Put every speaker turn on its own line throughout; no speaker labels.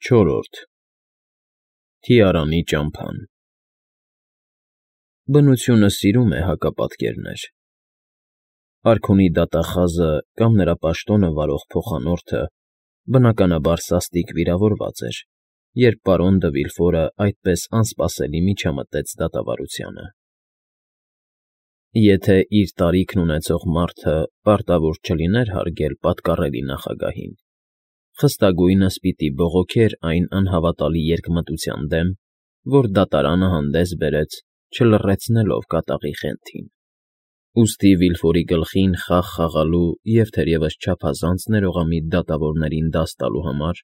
Չորրորդ Թիարանի ճամփան Բնությունը սիրում է հակապատկերներ։ Արքունի դատախազը կամ նրա պաշտոնը վարող փոխանորդը բնականաբար սաստիկ վիրավորված էր, երբ պարոն դը Վիլֆորը այդպես անսպասելի միջամտեց դատավարությանը։ Եթե իր տարիքն ունեցող մարդը պարտավոր չլիներ հարգել պատկառելի նախագահին, խստագույնս պիտի բողոքեր այն անհավատալի երկմտության դեմ, որ դատարանը հանդես բերեց, չլռեցնելով կատաղի խենթին։ Ուստի Վիլֆորի գլխին խաղ խաղալու և թերևս չափազանց ներողամիտ դատավորներին դաս տալու համար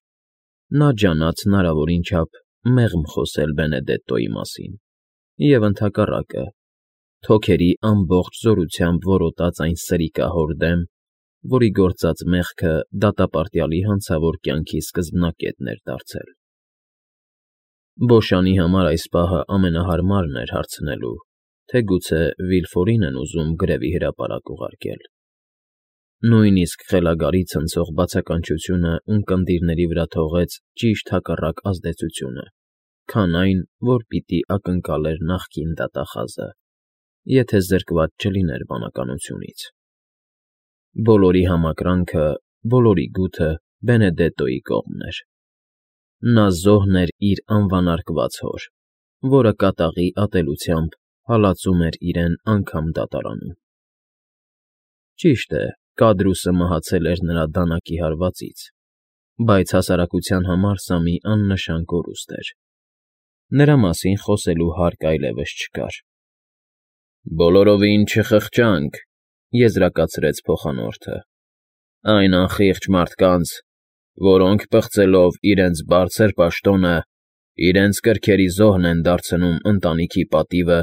նա ջանաց հնարավորին չափ մեղմ խոսել Բենեդետտոյի մասին և ընդհակառակը, թոքերի ամբողջ զորությամբ որոտաց այն սրիկահոր դեմ, որի գործած մեղքը դատապարտյալի հանցավոր կյանքի սկզբնակետն էր դարձել։ Բոշանի համար այս պահը ամենահարմարն էր հարցնելու, թե գուցե Վիլֆորին են ուզում գրևի հրապարակ ուղարկել։ Նույնիսկ խելագարի ցնցող բացականչությունը ունկնդիրների վրա թողեց ճիշտ հակառակ ազդեցությունը, քան այն, որ պիտի ակնկալեր նախկին դատախազը, եթե զրկված չլիներ բանականությունից։ Բոլորի համակրանքը, բոլորի գութը Բենեդետտոյի կողմն էր։ Նա զոհն էր իր անվանարկված հոր, որը կատաղի ատելությամբ հալածում էր իրեն անգամ դատարանում։ Ճիշտ է, Կադրուսը մահացել էր նրա դանակի հարվածից, բայց հասարակության համար սա մի աննշան կորուստ էր։ Նրա մասին խոսելու հարկ այլևս չկար։ «Բոլորովին չխղճանք», եզրակացրեց փոխանորդը, «այն անխիղճ մարդկանց, որոնք պղծելով իրենց բարձր պաշտոնը, իրենց կրքերի զոհն են դարձնում ընտանիքի պատիվը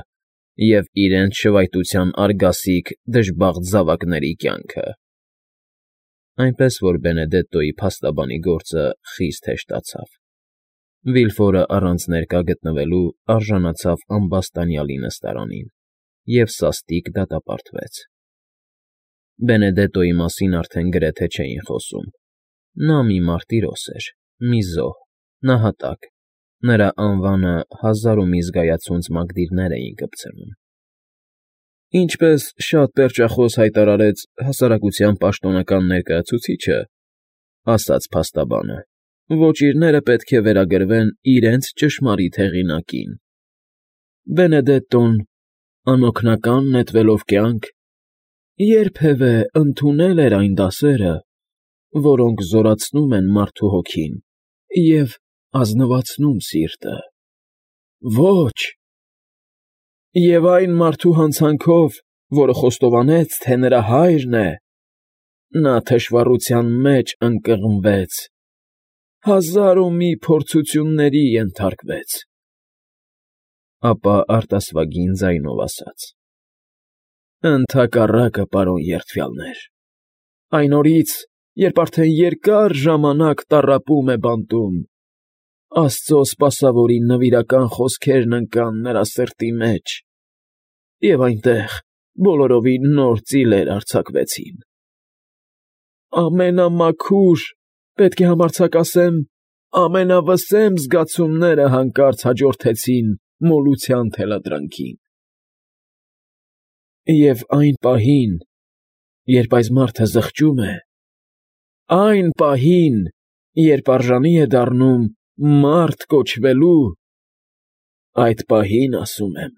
և իրենց շվայտության արգասիկ դժբախտ զավակների կյանքը»։ Այնպես որ Բենեդետտոյի փաստաբանի գործը խիստ հեշտացավ։ Վիլֆորը առանց ներկա գտնվելու արժանացավ ամբաստանյալի նստարանին և սաստիկ դատապարտվեց։ Բենեդետտոյի մասին արդեն գրեթե չէին խոսում։ Նա մի մարտիրոս էր, մի զոհ, նահատակ, նրա անվանը հազար ու մի զգայացունց մագդիրներ էին կպցնում։ Ինչպես շատ պերճախոս հայտարարեց հասարակության պաշտոնական ներկայացուցիչը, ասաց փաստաբանը, ոճիրները պետք է վերագրվեն իրենց ճշմարիտ հեղինակին։ Բենեդետտոն, անօգնական նետվելով կյանք, երբևէ ընդունել էր այն դասերը, որոնք զորացնում են մարդու հոգին և ազնվացնում սիրտը։ Ոչ։ Եվ այն մարդու հանցանքով, որը խոստովանեց, թե նրա հայրն է, նա թշվառության մեջ ընկղմվեց, հազար ու մի փորձությունների ենթարկվեց։ Ապա արտասվագին ձայնով ասաց. «Ընդհակառակը, պարոն երդվյալներ, այն օրից, երբ արդեն երկար ժամանակ տառապում է բանտում, Աստծո սպասավորի նվիրական խոսքերն ընկան նրա սրտի մեջ, և այնտեղ բոլորովին նոր ծիլեր արձակվեցին։ Ամենամաքուր, պետք է համարձակ ասեմ, ամենավսեմ զգացումները հանկարծ հաջորդեցին մոլության թելադրանքին։ Եվ այն պահին, երբ այս մարդը զղջում է, այն պահին, երբ արժանի է դառնում մարդ կոչվելու, այդ պահին, ասում եմ,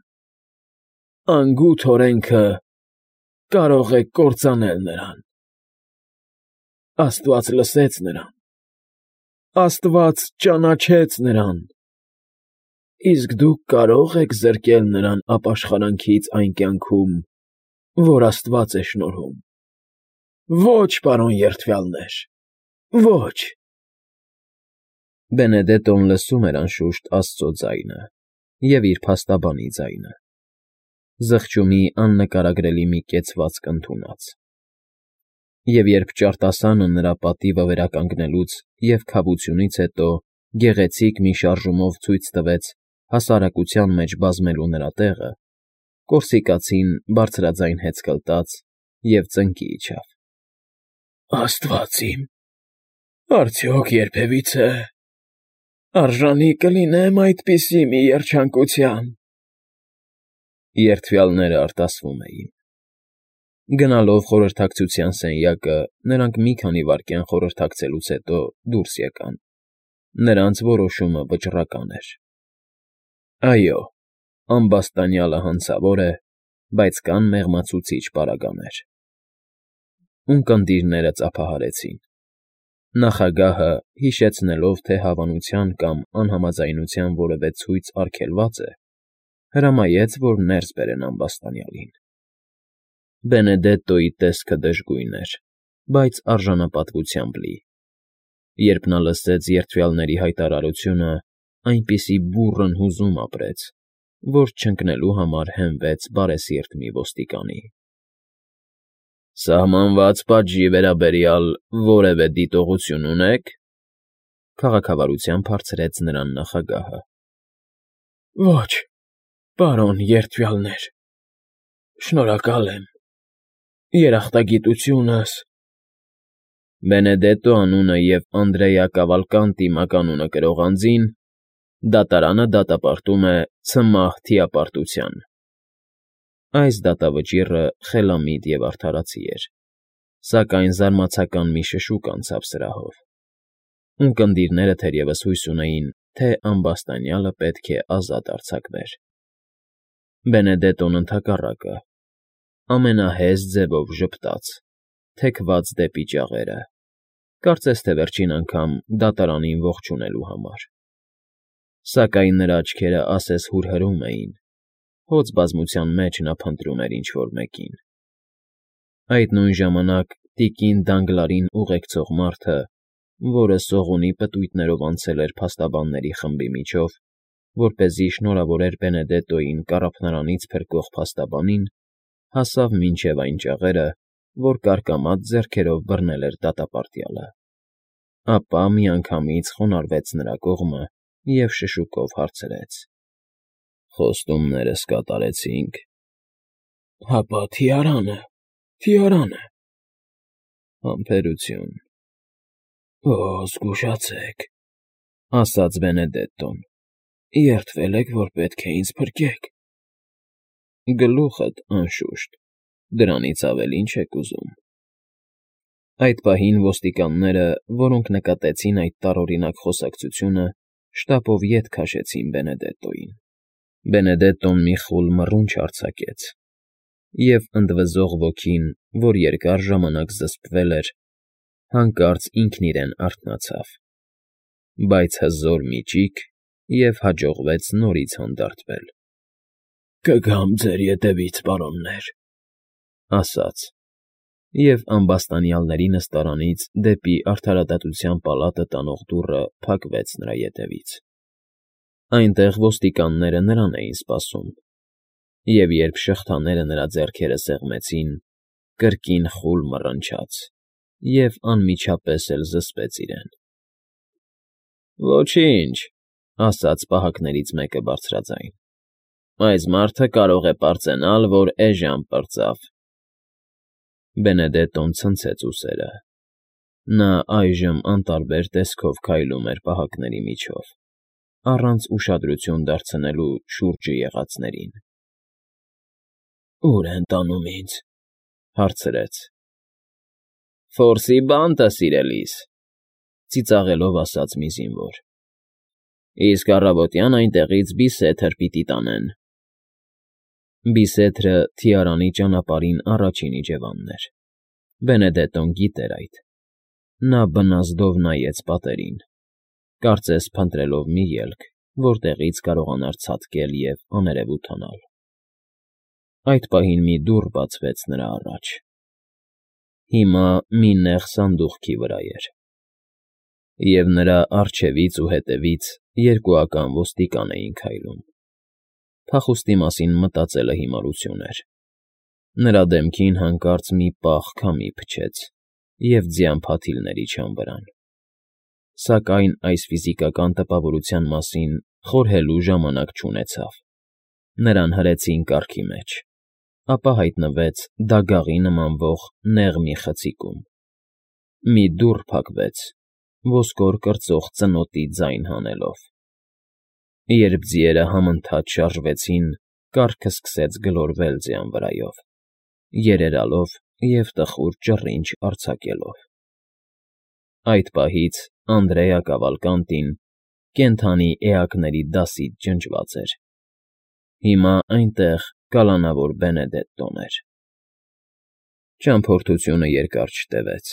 անգութ օրենքը կարող է կործանել նրան։ Աստված լսեց նրան, Աստված ճանաչեց նրան, իսկ դուք կարո՞ղ եք զրկել նրան ապաշխարանքից այն կյանքում, որ Աստված է շնորհում։ Ոչ, պարոն երդվյալներ, ոչ»։ Բենեդետտոն լսում էր անշուշտ Աստծո ձայնը և իր փաստաբանի ձայնը, զղջումի աննկարագրելի մի կեցվածք ընդունած։ Եվ երբ ճարտասանը նրա պատիվը վերականգնելուց և քավությունից հետո գեղեցիկ մի շարժումով ցույց տվեց հասարակության մեջ բազմելու նրա տեղը, կորսիկացին բարձրաձայն հեծկլտաց և ծնկի իջավ։ Աստված իմ, արդյոք երբևիցե…
Արժանի կլինեմ այդպիսի մի երջանկության։
Երդվյալները արտասվում էին։ Գնալով խորհրդակցության սենյակը, նրանք մի քանի վայրկյան խորհրդակցելուց հետո դուրս եկան։ Նրանց որոշումը վճռական էր։ Այո, ամբաստանյալը հանցավոր է, բայց կան մեղմացուցիչ պարագաներ։ Ունկնդիրները ծափահարեցին։ Նախագահը, հիշեցնելով, թե հավանության կամ անհամաձայնության որևէ ցույց արգելված է, հրամայեց, որ ներս բերեն ամբաստանյալին։ Բենեդետտոյի տեսքը դժգույն էր, բայց արժանապատվությամբ լի։ Երբ նա լսեց երդվյալների հայտարարությունը, այնպիսի բուռն հուզում ապրեց, որ չընկնելու համար հենվեց բարեսիրտ մի ոստիկանի։ Սահմանված պատժի վերաբերյալ որևէ դիտողություն ունե՞ք,֊ քաղաքավարությամբ հարցրեց նրան նախագահը։
Ոչ, պարոն երդվյալներ, շնորհակալ եմ, երախտագիտությունս…
Բենեդետտո անունը և Անդրեա Կավալկանտի մականունը կրող անձին դատարանը դատապարտում է ցմահ թիապարտության։ Այս դատավճիռը խելամիտ և արդարացի էր, սակայն զարմացական մի շշուկ անցավ սրահով։ Ունկնդիրները թերևս հույս ունեին, թե ամբաստանյալը պետք է ազատ արձակվեր։ Բենեդետտոն ընդհակառակը, ամենահեզ ձևով ժպտաց, թեքված դեպի ճաղերը, կարծես թե վերջին անգամ դատարանին ողջունելու համար։ Սակայն նրա աչքերը ասես հուրհրում էին, հոծ բազմության մեջ նա փնտրում էր ինչ֊որ մեկին։ Այդ նույն ժամանակ տիկին Դանգլարին ուղեկցող մարդը, որը սողունի պտույտներով անցել էր փաստաբանների խմբի միջով, որպեսզի շնորհավորեր Բենեդետտոյին կառափնարանից փրկող փաստաբանին, հասավ մինչև այն ճաղերը, որ կարկամած ձեռքերով բռնել էր դատապարտյալը, ապա միանգամից խոնարհվեց նրա կողմը և շշուկով հարցրեց. «Խոստումներս կատարեցինք»։
Հապա թիարանը…
Համբերություն…
Օ, զգուշացեք,
ասաց Բենեդետտոն։
Երդվել եք, որ պետք է ինձ փրկեք։
Գլուխդ, անշուշտ, դրանից ավելի ինչ եք ուզում։ Այդ պահին ոստիկանները, որոնք նկատեցին այդ տարօրինակ խոսակցությունը, շտապով ետ քաշեցին Բենեդետտոյին։ Բենեդետտոն մի խուլ մռունչ արձակեց, և ընդվզող ոգին, որ երկար ժամանակ զսպվել էր, հանկարծ ինքն իրեն արթնացավ, բայց հզոր մի ճիգ, և հաջողվեց նորից հանդարտվել։
Կգամ ձեր ետևից, պարոններ,
ասաց, և ամբաստանյալների նստարանից դեպի արդարադատության պալատը տանող դուռը փակվեց նրա ետևից։ Այնտեղ ոստիկանները նրան էին սպասում, և երբ շղթաները նրա ձեռքերը սեղմեցին, կրկին խուլ մռնչաց և անմիջապես էլ զսպեց իրեն։ Ոչինչ, ասաց պահակներից մեկը բարձրաձայն, այս մարդը կարող է պարծենալ, որ էժան պրծավ։ Բենեդետտոն ցնցեց ուսերը։ Նա այժմ անտարբեր տեսքով քայլում էր պահակների միջով, առանց ուշադրություն դարձնելու շուրջը եղածներին։
Ո՞ւր են տանում ինձ,
հարցրեց։ Ֆորսի բանտը, սիրելիս, ծիծաղելով ասաց մի զինվոր։ Իսկ առավոտյան այնտեղից Բիսեթր պիտի տանեն։ Բիսեթրը Թիարանի ճանապարհին առաջին իջևանն էր։ Բենեդետտոն գիտեր այդ։ Նա բնազդով նայեց պատերին, կարծես փնտրելով մի ելք, որտեղից կարողանար ցատկել և աներևութանալ։ Այդ պահին մի դուռ բացվեց նրա առաջ։ Հիմա մի նեղ սանդուղքի վրա էր, և նրա առջևից ու հետևից երկուական ոստիկան էին քայլում։ Փախուստի մասին մտածելը հիմարություն էր։ Նրա դեմքին հանկարծ մի պաղ քամի փչեց և ձյան փաթիլներ իջան վրան։ Սակայն այս ֆիզիկական տպավորության մասին խորհելու ժամանակ չունեցավ։ Նրան հրեցին կառքի մեջ, ապա հայտնվեց դագաղի նմանվող նեղ մի խցիկում։ Մի դուռ փակվեց, ոսկոր կրծող ծնոտի ձայն հանելով։ Երբ ձիերը համընթաց շարժվեցին, կառքը սկսեց գլորվել ձյան վրայով, երերալով և տխուր ճռինչ արձակելով։ Այդ պահից Անդրեա Կավալկանտին կենդանի էակների դասից ջնջված էր։ Հիմա այնտեղ կալանավոր Բենեդետտոն էր։ Ճամփորդությունը երկար չտևեց,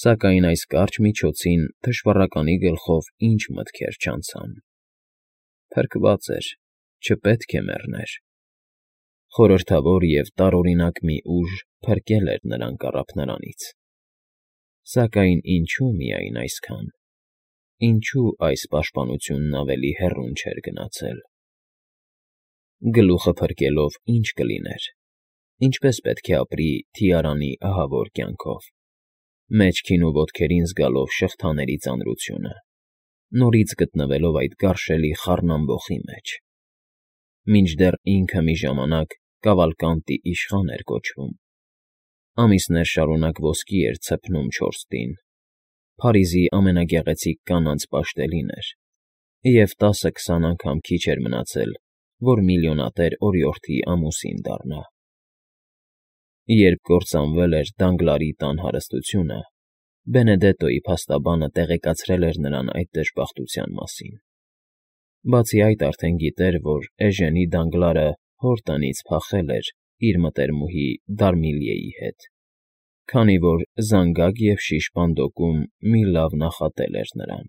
սակայն այս կարճ միջոցին թշվառականի գլխով ինչ մտքեր չանցան։ Փրկված էր, չպետք է մեռներ։ Խորհրդավոր և տարօրինակ մի ուժ փրկել էր նրան կառափնարանից։ Սակայն ինչո՞ւ միայն այսքան, ինչո՞ւ այս պաշտպանությունն ավելի հեռուն չէր գնացել։ Գլուխը փրկելով ի՞նչ կլիներ, ինչպես պետք է ապրի Թիարանի ահավոր կյանքով, մեջքին ու ոտքերին զգալով շղթաների ծանրությունը, նորից գտնվելով այդ գարշելի խառնամբոխի մեջ, մինչդեռ ինքը մի ժամանակ Կավալկանտի իշխան էր կոչվում, ամիսներ շարունակ ոսկի էր ցփնում 4 տին, Փարիզի ամենագեղեցիկ կանանց պաշտելին էր, և 10-20 անգամ քիչ էր մնացել, որ միլիոնատեր օրիորդի ամուսին դառնա։ Երբ կործանվել էր Դանգլարի տան հարստությունը, Բենեդետտոյի փաստաբանը տեղեկացրել էր նրան այդ դժբախտության մասին։ Բացի այդ արդեն գիտեր, որ Էժենի Դանգլարը հոր տնից փախել էր իր մտերմուհի Դարմիլիեի հետ, քանի որ զանգակ և շիշ բանդոկում մի լավ նախատել էր նրան։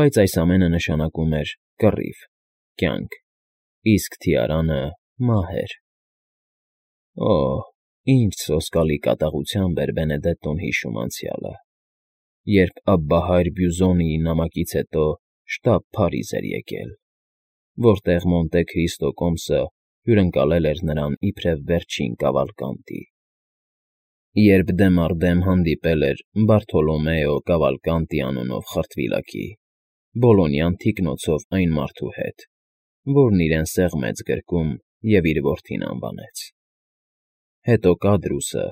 Բայց այս ամենը նշանակում էր կռիվ, կյանք, իսկ Թիարանը մահեր։ Օհ, ինչ սոսկալի կատաղությամբ էր Բենեդետտոն հիշում անցյալը, երբ Աբբահայր Բյուզոնիի նամակից հետո շտապ Փարիզ էր եկել, որտեղ Մոնտե Քրիստո կոմսը հյուրընկալել էր նրան իբրև վերջին Կավալկանտի։ Երբ դեմ առ դեմ հանդիպել էր Բարթոլոմեո Կավալկանտի անունով խրտվիլակի, Բոլոնյան թիկնոցով այն մարդու հետ, որն իրեն սեղմեց գրկում և իր որդին անվանեց։ Հետո Կադրուսը,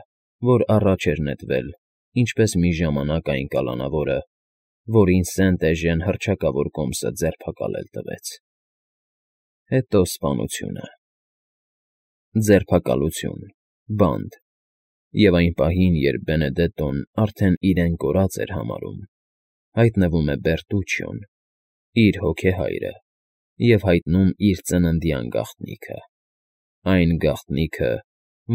որ առաջ էր նետվել, ինչպես մի ժամանակ այն կալանավորը, որին Սենտ-Էժեն հռչակավոր կոմսը ձերբակալել տվեց։ Հետո սպանությունը։ Ձերբակալություն, բանտ, և այն պահին, երբ Բենեդետտոն արդեն իրեն կորած էր համարում, հայտնվում է Բերտուչիոն, իր հոգեհայրը, և հայտնում իր ծննդյան գաղտնիքը, այն գաղտնիքը,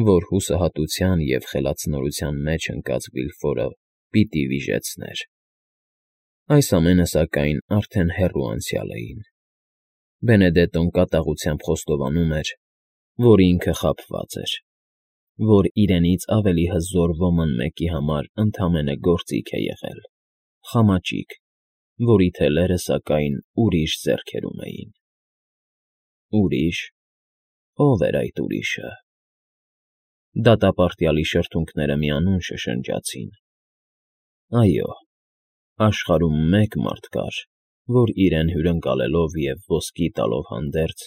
որ հուսահատության և խելացնորության մեջ ընկած Վիլֆորը պիտի վիժեցներ։ Այս ամենը, սակայն, արդեն հեռու անցյալ էին։ Բենեդետտոն կատաղությամբ խոստովանում էր, որ ինքը խաբված էր, որ իրենից ավելի հզոր ոմն մեկի համար ընդամենը գործիք է եղել, խամաճիկ, որի թելերը, սակայն, ուրիշ ձեռքերում էին։ Ուրիշ… Ո՞վ էր այդ ուրիշը։ Դատապարտյալի շրթունքները միանուն շշնջացին։ Այո, աշխարհում մեկ մարդ կար, որ իրեն հյուրընկալելով և ոսկի տալով հանդերձ,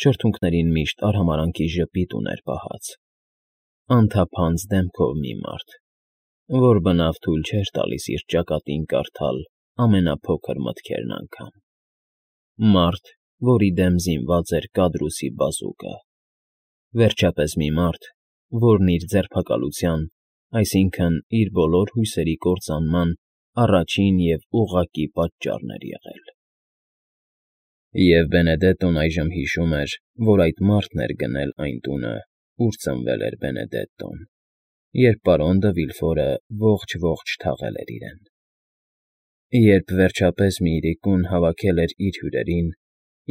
շրթունքներին միշտ արհամարհանքի ժպիտ ուներ պահած, անթափանց դեմքով մի մարդ, որ բնավ թույլ չէր տալիս իր ճակատին կարդալ ամենափոքր մտքերն անգամ, մարդ, որի դեմ զինված էր Կադրուսի բազուկը, վերջապես մի մարդ, որն իր ձերբակալության, այսինքն՝ իր բոլոր հույսերի կործանման առաջին և ուղղակի պատճառն էր եղել։ Եվ Բենեդետտոն այժմ հիշում էր, որ այդ մարդն էր գնել այն տունը, ուր ծնվել էր Բենեդետտոն, երբ պարոն դը Վիլֆորը ողջ թաղել էր իրեն։ Երբ վերջապես մի իրիկուն հավաքել էր իր հյուրերին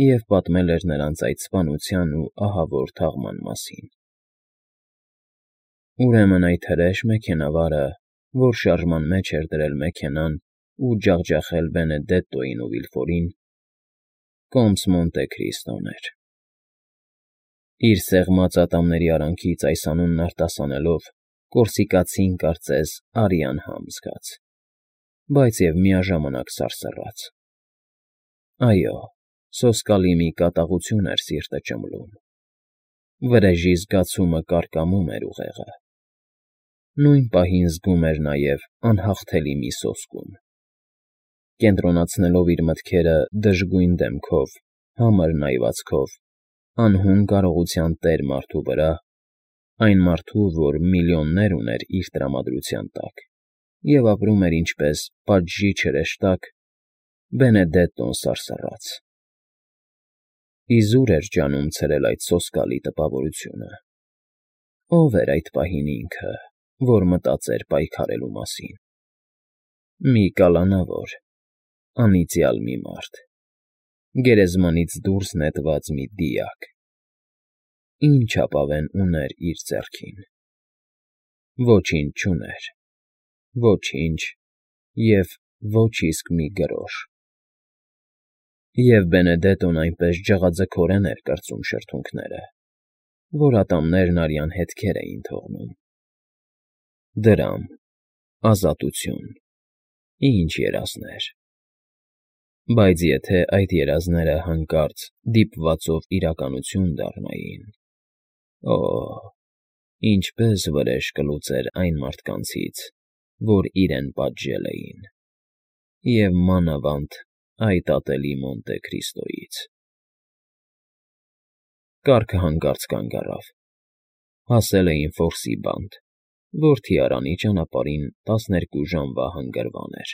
և պատմել էր նրանց այդ սպանության ու ահավոր թաղման մասին։ Ուրեմն այդ հրեշ մեքենավարը, որ շարժման մեջ էր դրել մեքենան ու ջախջախել Բենեդետտոյին ու Վիլֆորին, կոմս Մոնտե Քրիստոն էր։ Իր սեղմած ատամների արանքից այս անունն արտասանելով, կորսիկացին, կարծես, արյան համ զգաց, բայց և միաժամանակ սարսռաց։ Այո, սոսկալի մի կատաղություն էր սիրտը ճմլում։ Վրեժի զգացումը կարկամում էր ուղեղը։ Նույն պահին զգում էր նաև անհաղթելի մի սոսկում։ Կենտրոնացնելով իր մտքերը դժգույն դեմքով, համր նայվածքով, անհուն կարողության տեր մարդու վրա, այն մարդու, որ միլիոններ ուներ իր տրամադրության տակ, և ապրում էր ինչպես պատժի չհրեշտակ, Բենեդետտոն սարսռաց։ Իզուր էր ջանում ցրել այդ սոսկալի տպավորությունը։ Ո՞վ էր այդ պահին ինքը, որ մտածեր պայքարելու մասին։ Մի կալանավոր, անիծյալ մի մարդ, գերեզմանից դուրս նետված մի դիակ։ Ինչ ապավեն ուներ իր ձեռքին։ Ոչինչ չուներ, ոչինչ և ոչ իսկ մի գրոշ։ Եվ Բենեդետտոն այնպես ջղաձգորեն էր կրծում շրթունքները, որ ատամներն արյան հետքեր էին թողնում։ Դրամ, ազատություն, ինչ երազներ։ Բայց եթե այդ երազները հանկարծ դիպվածով իրականություն դառնային… Օ՜, ինչպես վրեժ կլուծեր այն մարդկանցից, որ իրեն պատժել էին, և մանավանդ այդ ատելի Մոնտե Քրիստոյից… Կառքը հանկարծ կանգ առավ։ Հասել էին Ֆորսի բանտ, որ թիարանի ճանապարհին 12 ժամվա հանգրվան էր։